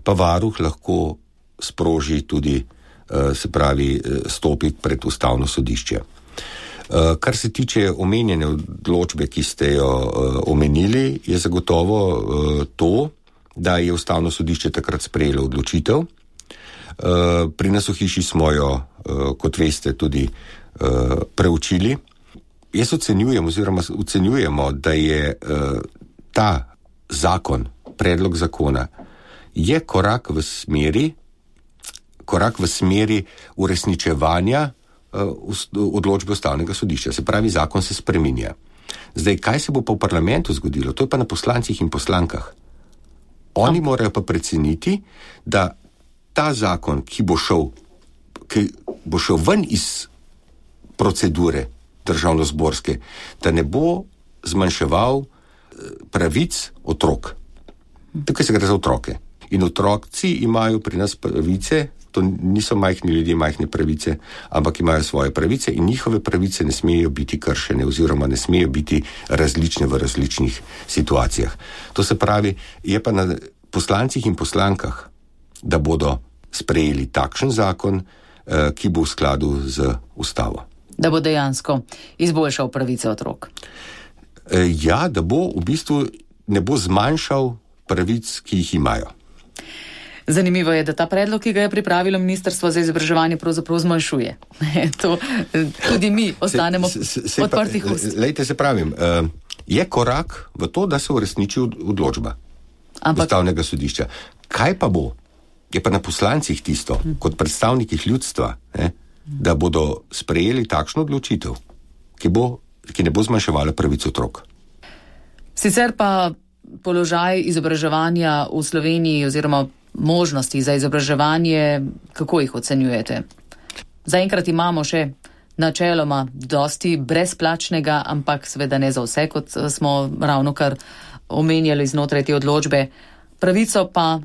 pa varuh lahko sproži tudi, se pravi, stopi pred Ustavno sodišče. Kar se tiče omenjene odločbe, ki ste jo omenili, je zagotovo to, da je Ustavno sodišče takrat sprejelo odločitev. Pri nas v hiši smo jo, kot veste, tudi preučili. Jaz ocenjujemo, da je ta zakon, predlog zakona, je korak v smeri uresničevanja odločbe Ustavnega sodišča. Se pravi, zakon se spreminja. Zdaj, kaj se bo pa v parlamentu zgodilo? To je pa na poslancih in poslankah. Oni morajo pa preceniti, da ta zakon, ki bo šel ven iz procedure državnozborske, da ne bo zmanjševal pravic otrok. Tukaj se gre za otroke. In otroci imajo pri nas pravice, to niso majhni ljudje, majhne pravice, ampak imajo svoje pravice in njihove pravice ne smejo biti kršene oziroma ne smejo biti različne v različnih situacijah. To se pravi, je pa na poslancih in poslankah, da bodo sprejeli takšen zakon, ki bo v skladu z Ustavo. Da bo dejansko izboljšal pravice otrok. Ja, da bo v bistvu ne bo zmanjšal pravic, ki jih imajo. Zanimivo je, da ta predlog, ki ga je pripravilo Ministrstvo za izobraževanje, pravzaprav zmanjšuje. To tudi mi ostanemo odprtih ust. Lejte, se pravim, je korak v to, da se uresniči odločba Ustavnega sodišča. Kaj pa bo? Je pa na poslancih tisto, kot predstavnikih ljudstva, da bodo sprejeli takšno odločitev, ki ne bo zmanjševala pravic otrok. Sicer pa položaj izobraževanja v Sloveniji oziroma možnosti za izobraževanje, kako jih ocenjujete? Zaenkrat imamo še načeloma dosti brezplačnega, ampak seveda ne za vse, kot smo ravnokar omenjali znotraj te odločbe. Pravico pa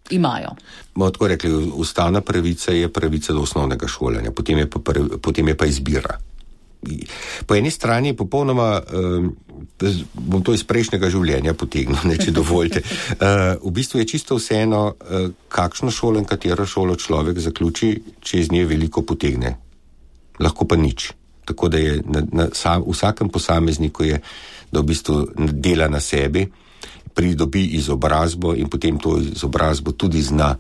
imajo. Bomo tako rekli, ustavna pravica je pravica do osnovnega šolanja, potem je pa izbira. Po eni strani je popolnoma, bom to iz prejšnjega življenja potegnil, če dovolite, v bistvu je čisto vseeno, kakšno šolo in katero šolo človek zaključi, če iz nje veliko potegne. Lahko pa nič. Tako da je vsakem posamezniku je, da v bistvu dela na sebi, pridobi izobrazbo in potem to izobrazbo tudi zna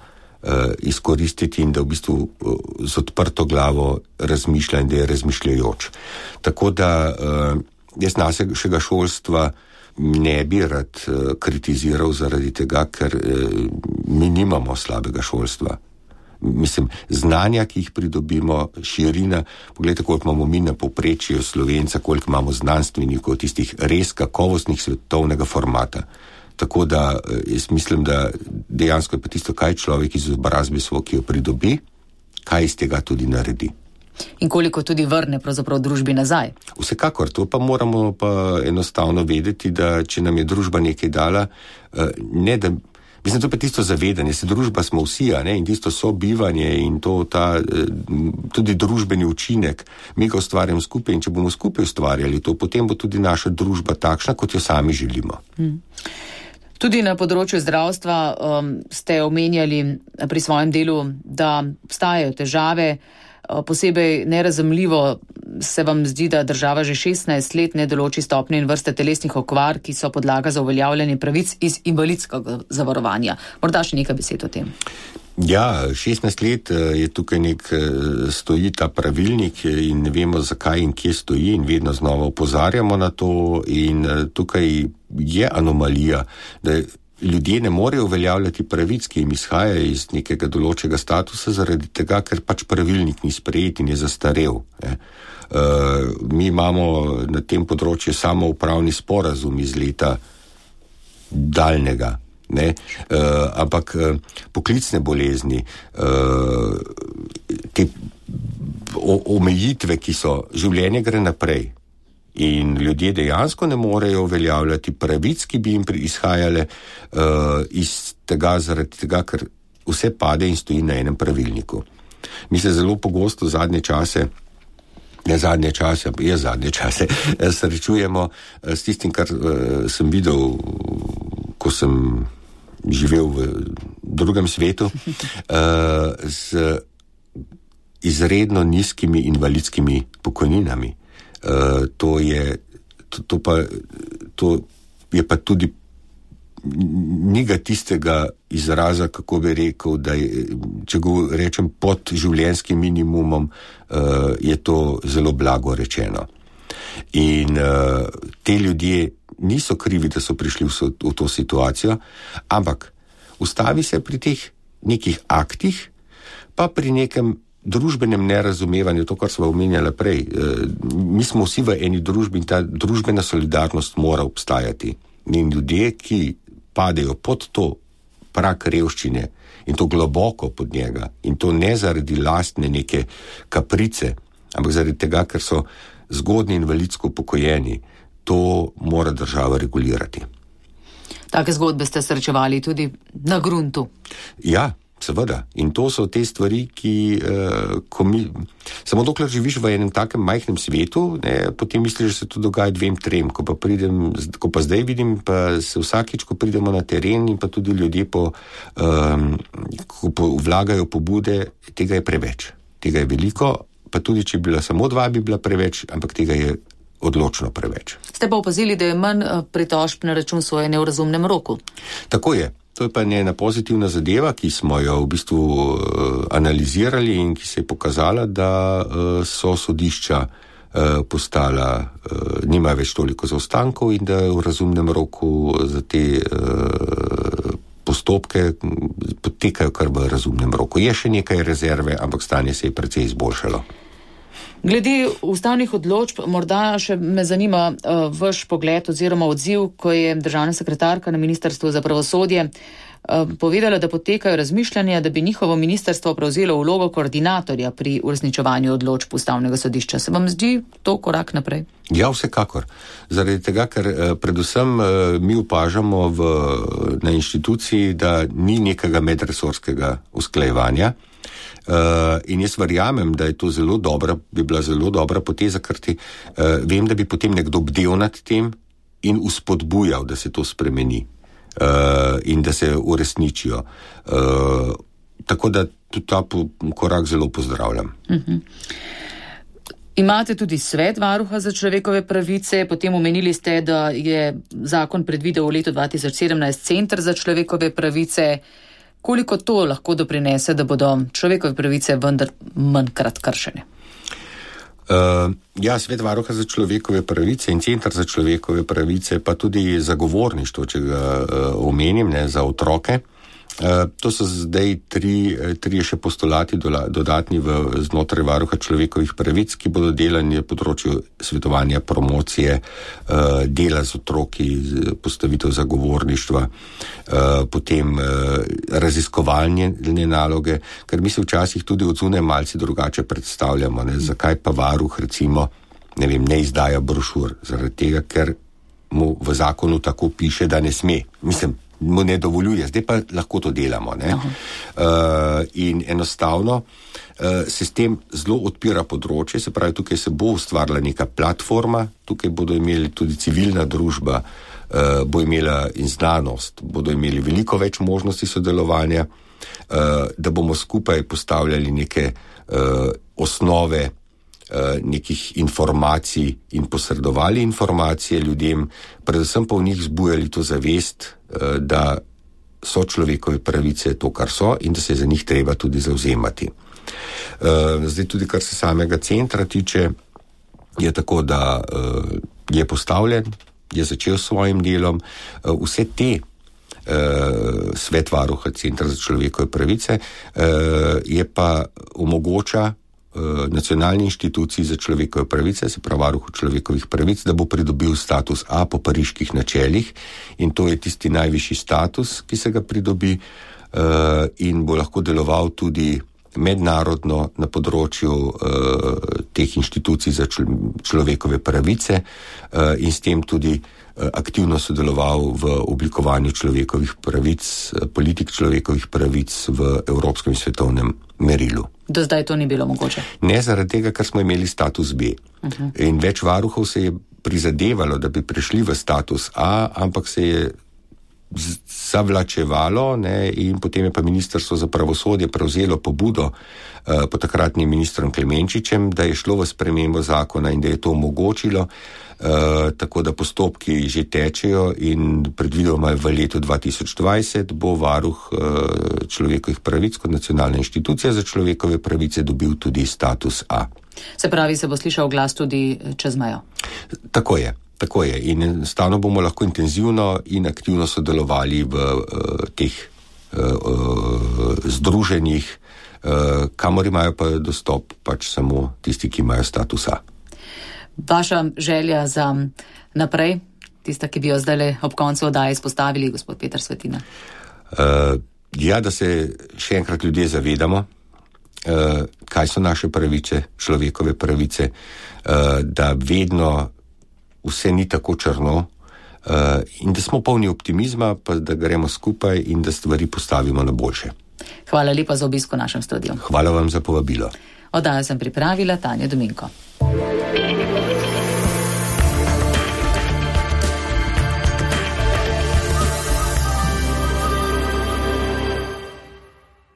izkoristiti in da v bistvu z odprto glavo razmišlja in da je razmišljajoč. Tako da jaz našega šolstva ne bi rad kritiziral zaradi tega, ker mi nimamo slabega šolstva. Mislim, znanja, ki jih pridobimo, širina, pogledajte, koliko imamo mi na povprečju Slovenca, koliko imamo znanstvenikov, tistih res kakovostnih svetovnega formata. Tako da jaz mislim, da dejansko je pa tisto, kaj človek iz izobrazbe svoj, ki jo pridobi, kaj iz tega tudi naredi. In koliko tudi vrne pravzaprav družbi nazaj. Vsekakor, to pa moramo pa enostavno vedeti, da če nam je družba nekaj dala, ne da Mislim, to pa tisto zavedanje, se družba smo vsi, ne, in tisto sobivanje in to tudi družbeni učinek, mi ga ustvarjamo skupaj in če bomo skupaj ustvarjali to, potem bo tudi naša družba takšna, kot jo sami želimo. Tudi na področju zdravstva ste omenjali pri svojem delu, da obstajajo težave. Posebej nerazumljivo se vam zdi, da država že 16 let ne določi stopnje in vrste telesnih okvar, ki so podlaga za uveljavljanje pravic iz invalidskega zavarovanja. Morda še nekaj besed o tem. Ja, 16 let je tukaj stoji ta pravilnik in ne vemo, zakaj in kje stoji in vedno znova opozarjamo na to in tukaj je anomalija, da ljudje ne morejo uveljavljati pravic, ki jim izhajajo iz nekega določega statusa zaradi tega, ker pač pravilnik ni sprejet in je zastarel. Mi imamo na tem področju samoupravni sporazum iz leta daljnega, ampak poklicne bolezni, te omejitve, ki so, življenje gre naprej. In ljudje dejansko ne morejo uveljavljati pravic, ki bi jim izhajale iz tega, zaradi tega, ker vse pade in stoji na enem pravilniku. Mi se zelo pogosto zadnje čase srečujemo s tistim, kar sem videl, ko sem živel v drugem svetu, z izredno nizkimi invalidskimi pokojninami. To je pa tudi njega tistega izraza, kako bi rekel, da je, če go rečem pod življenjskim minimumom, je to zelo blago rečeno. In te ljudje niso krivi, da so prišli v to situacijo, ampak ustavi se pri teh nekih aktih, pa pri nekem družbenem nerazumevanju, to, kar smo omenjali prej. Mi smo vsi v eni družbi in ta družbena solidarnost mora obstajati. In ljudje, ki padejo pod to prag revščine in to globoko pod njega, in to ne zaradi lastne neke kaprice, ampak zaradi tega, ker so zgodnji invalidsko upokojeni, to mora država regulirati. Take zgodbe ste srečevali tudi na gruntu. Ja, seveda. In to so te stvari, ki samo dokler živiš v enem takem majhnem svetu, potem misliš, da se to dogaja 2-3. Ko pa zdaj vidim, pa se vsakič, ko pridemo na teren in pa tudi ljudje ko vlagajo pobude, tega je preveč. Tega je veliko, pa tudi, če bi bila samo 2, bi bila preveč, ampak tega je odločno preveč. Ste pa opazili, da je manj pritožb na račun sojenja v razumnem roku? Tako je. To je pa ena pozitivna zadeva, ki smo jo v bistvu analizirali in ki se je pokazala, da so sodišča postala, nimajo več toliko zaostankov in da v razumnem roku za te postopke potekajo kar v razumnem roku. Je še nekaj rezerve, ampak stanje se je precej izboljšalo. Glede ustavnih odločb, morda še me zanima vaš pogled oziroma odziv, ko je državna sekretarka na Ministrstvu za pravosodje povedala, da potekajo razmišljanja, da bi njihovo ministrstvo prevzelo vlogo koordinatorja pri uresničevanju odločb Ustavnega sodišča. Se vam zdi to korak naprej? Ja, vsekakor. Zaradi tega, ker predvsem mi opažamo na inštituciji, da ni nekega medresorskega usklajevanja. In jaz verjamem, da je to bi bila zelo dobra poteza, ker vem, da bi potem nekdo bdel nad tem in uspodbujal, da se to spremeni in da se uresničijo. Tako da tudi ta korak zelo pozdravljam. Imate tudi svet varuha za človekove pravice, potem omenili ste, da je zakon predvidel v letu 2017 Center za človekove pravice. Koliko to lahko doprinese, da bodo človekove pravice vendar manjkrat kršene? Ja, svet varuha za človekove pravice in Center za človekove pravice, pa tudi zagovorništvo, če ga omenim, za otroke. To so zdaj tri še postulati dodatni znotraj varuha človekovih pravic, ki bodo delani na področju svetovanja, promocije, dela z otroki, postavitev zagovorništva, potem raziskovalne naloge, ker mi se včasih tudi od zunaj malce drugače predstavljamo, zakaj pa varuh recimo, ne izdaja brošur, zaradi tega, ker mu v zakonu tako piše, da ne sme. Mislim, mu ne dovoljuje, zdaj pa lahko to delamo. In enostavno se s tem zelo odpira področje, se pravi, tukaj se bo ustvarila neka platforma, tukaj bodo imeli tudi civilna družba, bo imela in znanost, bodo imeli veliko več možnosti sodelovanja, da bomo skupaj postavljali neke osnove nekih informacij in posredovali informacije ljudem, predvsem pa v njih zbujali to zavest, da so človekove pravice to, kar so in da se za njih treba tudi zavzemati. Zdaj tudi, kar se samega centra tiče, je tako, da je postavljen, je začel s svojim delom. Vse te Svet varuha Centra za človekove pravice je pa omogoča nacionalni inštituciji za človekove pravice, se pravi varuhu človekovih pravic, da bo pridobil status A po pariških načelih in to je tisti najvišji status, ki se ga pridobi in bo lahko deloval tudi mednarodno na področju teh inštitucij za človekove pravice in s tem tudi aktivno sodeloval v oblikovanju človekovih pravic, politik človekovih pravic v evropskem in svetovnem merilu. Do zdaj to ni bilo mogoče? Ne, zaradi tega, ker smo imeli status B. In več varuhov se je prizadevalo, da bi prišli v status A, ampak se je zavlačevalo, in potem je pa Ministrstvo za pravosodje prevzelo pobudo pod takratnim ministrom Klemenčičem, da je šlo v spremembo zakona in da je to omogočilo, tako da postopki že tečejo in predvidoma v letu 2020 bo varuh človekovih pravic kot nacionalna inštitucija za človekove pravice dobil tudi status A. Se pravi, se bo slišal glas tudi čez mejo? Tako je. Tako je in enostavno bomo lahko intenzivno in aktivno sodelovali v teh združenjih, kamor imajo pa dostop pač samo tisti, ki imajo statusa. Vaša želja za naprej, tista, ki bi jo zdaj ob koncu oddaje izpostavili, gospod Peter Svetina? Da se še enkrat ljudje zavedamo, kaj so naše pravice, človekove pravice, da vedno vse ni tako črno in da smo polni optimizma, pa da gremo skupaj in da stvari postavimo na boljše. Hvala lepa za obisk v našem studiu. Hvala vam za povabilo. Oddajo sem pripravila Tanja Dominko.